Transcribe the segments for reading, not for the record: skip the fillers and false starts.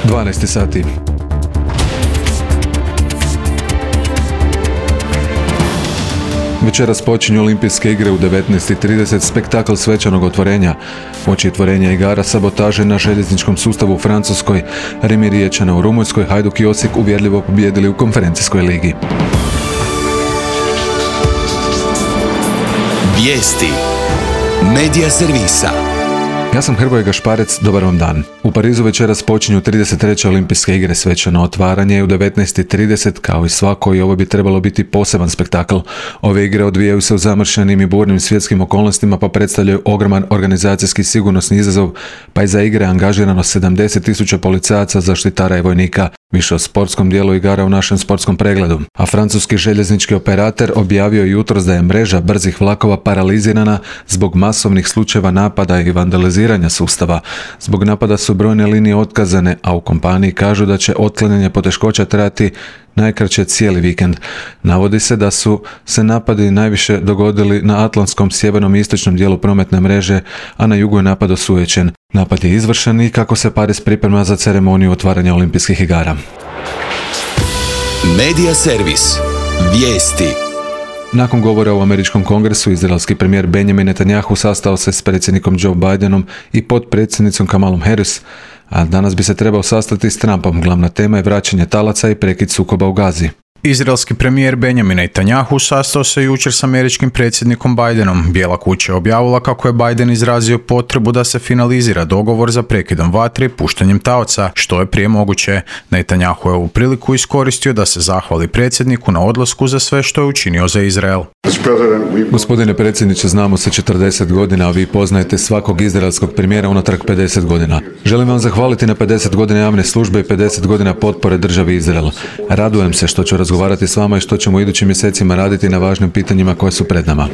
12 sati. Večeras počinju Olimpijske igre u 19:30, spektakl svečanog otvorenja. Očitvorenja igara sabotaže na željezničkom sustavu u Francuskoj, Remi Riječana u Rumunjskoj, Hajduk i Osijek uvjerljivo pobijedili u konferencijskoj ligi. Vijesti Medija servisa. Ja sam Hrvoje Gašparec, dobar vam dan. U Parizu večeras počinju 33. Olimpijske igre, svečano otvaranje u 19:30, kao i svako, i ovo bi trebalo biti poseban spektakl. Ove igre odvijaju se u zamršenim i burnim svjetskim okolnostima, pa predstavljaju ogroman organizacijski sigurnosni izazov, pa je za igre angažirano 70.000 policajaca, zaštitara i vojnika. Više o sportskom dijelu igara u našem sportskom pregledu. A francuski željeznički operator objavio jutros da je mreža brzih vlakova paralizirana zbog masovnih slučajeva napada i vandaliziranja sustava. Zbog napada su brojne linije otkazane, a u kompaniji kažu da će otklanjanje poteškoća trajati najkraće cijeli vikend. Navodi se da su se napadi najviše dogodili na atlantskom sjevernom i istočnom dijelu prometne mreže, a na jugu je napad osujećen. Napad je izvršen i kako se Pariz priprema za ceremoniju otvaranja Olimpijskih igara. Medija servis. Vijesti. Nakon govora u američkom kongresu, izraelski premijer Benjamin Netanyahu sastao se s predsjednikom Joe Bidenom i potpredsjednicom Kamalom Harris, a danas bi se trebao sastati s Trumpom. Glavna tema je vraćanje talaca i prekid sukoba u Gazi. Izraelski premijer Benjamin Netanyahu sastao se jučer s američkim predsjednikom Bidenom. Bijela kuća je objavila kako je Biden izrazio potrebu da se finalizira dogovor za prekidom vatre i puštanjem taoca, što je prije moguće. Netanyahu je ovu priliku iskoristio da se zahvali predsjedniku na odlasku za sve što je učinio za Izrael. Gospodine predsjedniče, znamo se 40 godina, a vi poznajete svakog izraelskog premijera unatrag 50 godina. Želim vam zahvaliti na 50 godina javne službe i 50 godina potpore državi Izrael. Radujem se što ću razgovarati s vama i što ćemo u idućim mjesecima raditi na važnim pitanjima koje su pred nama.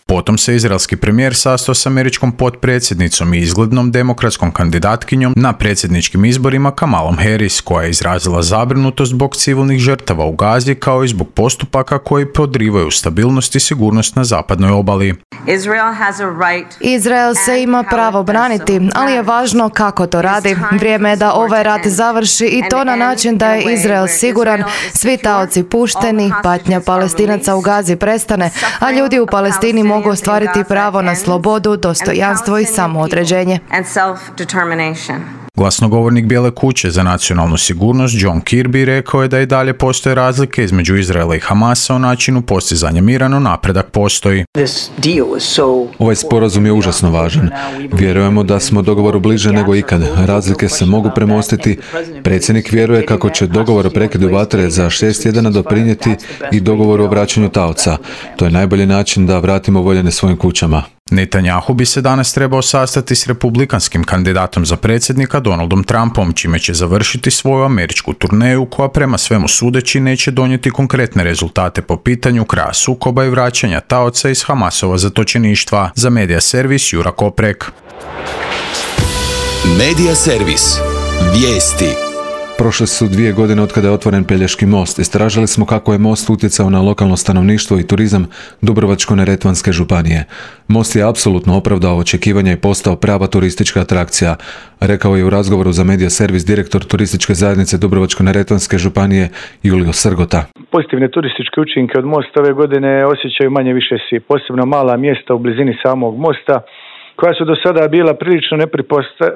Potom se izraelski premijer sastao s američkom potpredsjednicom i izglednom demokratskom kandidatkinjom na predsjedničkim izborima Kamalom Harris, koja je izrazila zabrinutost zbog civilnih žrtava u Gazi, kao i zbog postupaka koji podrivaju stabilnost i sigurnost na zapadnoj obali. Izrael se ima pravo braniti, ali je važno kako to radi. Vrijeme je da ovaj rat završi i to na način da je Izrael siguran, svi taoci pušteni, patnja Palestinaca u Gazi prestane, a ljudi u Palestini mogu ostvariti pravo na slobodu, dostojanstvo i samoodređenje. Glasnogovornik Bijele kuće za nacionalnu sigurnost John Kirby rekao je da i dalje postoje razlike između Izraela i Hamasa o načinu postizanja mira, no napredak postoji. Ovaj sporazum je užasno važan. Vjerujemo da smo dogovoru bliže nego ikad. Razlike se mogu premostiti. Predsjednik vjeruje kako će dogovor o prekidu vatre za 6 tjedana doprinijeti i dogovoru o vraćanju taoca. To je najbolji način da vratimo voljene svojim kućama. Netanyahu bi se danas trebao sastati s republikanskim kandidatom za predsjednika Donaldom Trumpom, čime će završiti svoju američku turneju koja prema svemu sudeći neće donijeti konkretne rezultate po pitanju kraja sukoba i vraćanja taoca iz Hamasova zatočeništva. Za Medija servis Jura Koprek. Medija servis. Vijesti. Prošle su 2 godine od kada je otvoren Pelješki most. Istražili smo kako je most utjecao na lokalno stanovništvo i turizam Dubrovačko-neretvanske županije. Most je apsolutno opravdao očekivanja i postao prava turistička atrakcija, rekao je u razgovoru za Medija servis direktor turističke zajednice Dubrovačko-neretvanske županije Julio Srgota. Pozitivne turističke učinke od mosta ove godine osjećaju manje više svi, posebno mala mjesta u blizini samog mosta, koja su do sada bila prilično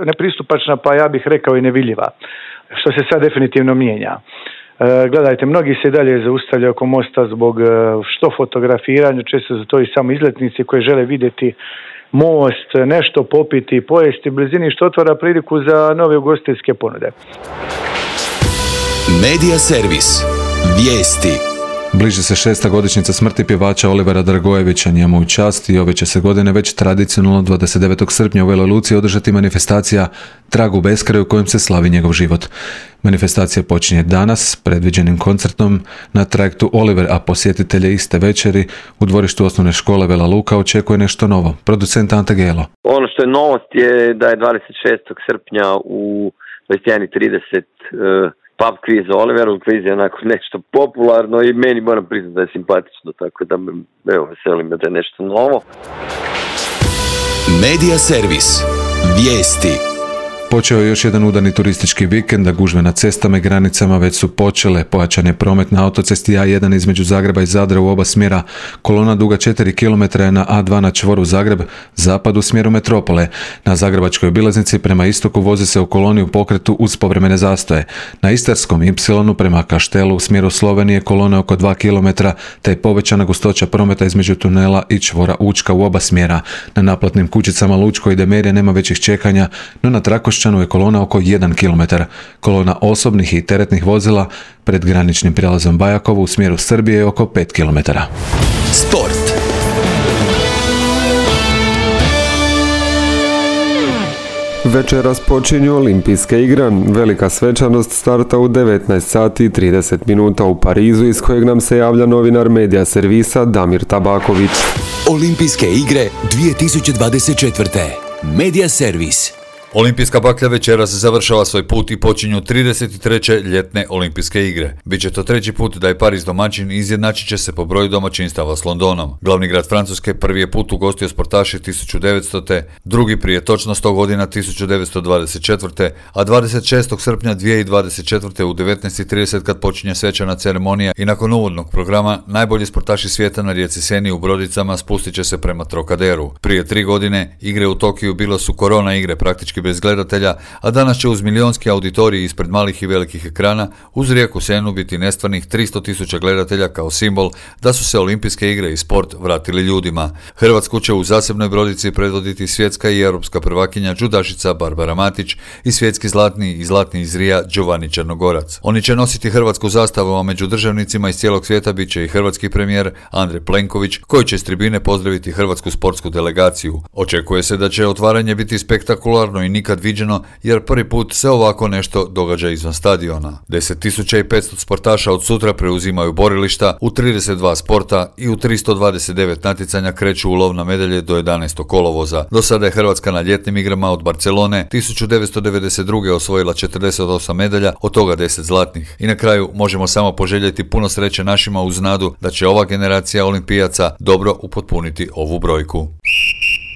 nepristupačna, pa ja bih rekao i nevidljiva, što se sad definitivno mijenja. Gledajte, mnogi se dalje zaustavljaju oko mosta zbog što fotografiranja, često su to i samo izletnici koji žele vidjeti most, nešto popiti, pojesti u blizini, što otvara priliku za nove ugostiteljske ponude. Medija servis. Vijesti. Bliži se 6. godišnjica smrti pjevača Olivera Dragojevića, njemu u čast, i ove će se godine već tradicionalno 29. srpnja u Veloj Luci održati manifestacija Trag u beskraju kojom se slavi njegov život. Manifestacija počinje danas predviđenim koncertom na trajektu Oliver, a posjetitelje iste večeri u dvorištu osnovne škole Vela Luka očekuje nešto novo. Producent Ante Gelo. Ono što je novost je da je 26. srpnja u 21:30 pub quiz za Oliveru. Quiz je onako nešto popularno i meni moram priznati da je simpatično, tako da me veselim da je nešto novo. Medija servis. Vijesti. Počeo je još jedan udani turistički vikend, a gužve na cestama i granicama već su počele. Pojačan je promet na autocesti A1 između Zagreba i Zadra u oba smjera. Kolona duga 4 km je na A2 na čvoru Zagreb, zapad u smjeru metropole. Na zagrebačkoj obilaznici prema istoku vozi se u koloni u pokretu uz povremene zastoje. Na istarskom Y prema Kaštelu u smjeru Slovenije kolona oko 2 km, te je povećana gustoća prometa između tunela i čvora Učka u oba smjera. Na naplatnim kućicama Lučko i Demerije nema većih čekanja, no na Trakošćanu je kolona oko 1 km. Kolona osobnih i teretnih vozila pred graničnim prijelazom Bajakovo u smjeru Srbije je oko 5 km. Sport. Večeras počinju olimpijske igre. Velika svečanost starta u 19 sati i 30 minuta u Parizu, iz kojeg nam se javlja novinar Medija servisa Damir Tabaković. Olimpijske igre 2024. Medija servis. Olimpijska baklja večeras završava svoj put i počinju 33. ljetne olimpijske igre. Biće to treći put da je Pariz domaćin i izjednačit će se po broju domaćinstava s Londonom. Glavni grad Francuske prvi je put ugostio sportaše 1900. drugi prije točno 100 godina 1924. a 26. srpnja 2024. u 19:30 kad počinje svečana ceremonija i nakon uvodnog programa najbolji sportaši svijeta na rijeci Seni u brodicama spustit će se prema Trokaderu. Prije 3 godine igre u Tokiju bilo su korona igre praktički bez gledatelja, a danas će uz milionski auditorij ispred malih i velikih ekrana uz rijeku Senu biti nestvarnih 300.000 gledatelja kao simbol da su se olimpijske igre i sport vratili ljudima. Hrvatsku će u zasebnoj brodici predvoditi svjetska i europska prvakinja džudašica Barbara Matić i svjetski zlatni i zlatni iz Rija Giovanni Črnogorac. Oni će nositi hrvatsku zastavu, a među državnicima iz cijelog svijeta bit će i hrvatski premijer Andrej Plenković, koji će s tribine pozdraviti hrvatsku sportsku delegaciju. Očekuje se da će otvaranje biti spektakularno i nikad viđeno, jer prvi put se ovako nešto događa izvan stadiona. 10.500 sportaša od sutra preuzimaju borilišta u 32 sporta i u 329 natjecanja kreću u lov na medalje do 11. kolovoza. Do sada je Hrvatska na ljetnim igrama od Barcelone 1992. osvojila 48 medalja, od toga 10 zlatnih. I na kraju možemo samo poželjeti puno sreće našima uz nadu da će ova generacija olimpijaca dobro upotpuniti ovu brojku.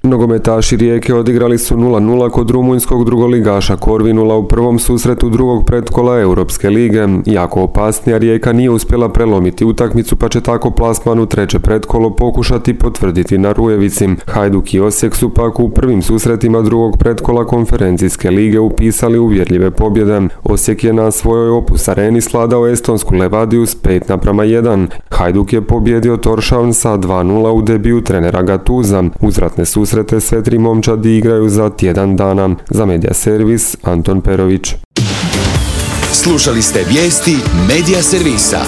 Nogometaši Rijeke odigrali su 0-0 kod rumunjskog drugoligaša Korvinula u prvom susretu drugog pretkola Europske lige. Jako opasnija Rijeka nije uspjela prelomiti utakmicu, pa će tako plasman u treće pretkolo pokušati potvrditi na Rujevici. Hajduk i Osijek su pak u prvim susretima drugog pretkola konferencijske lige upisali uvjerljive pobjede. Osijek je na svojoj Opus areni sladao estonsku Levadiju s 5:1. Hajduk je pobjedio Torshavn sa 2:0 u debiju trenera Gatuza. Uzvratne susrete sve tri momčadi igraju za tjedan dana. Za Medija servis Anton Perović. Slušali ste vijesti Medija servisa.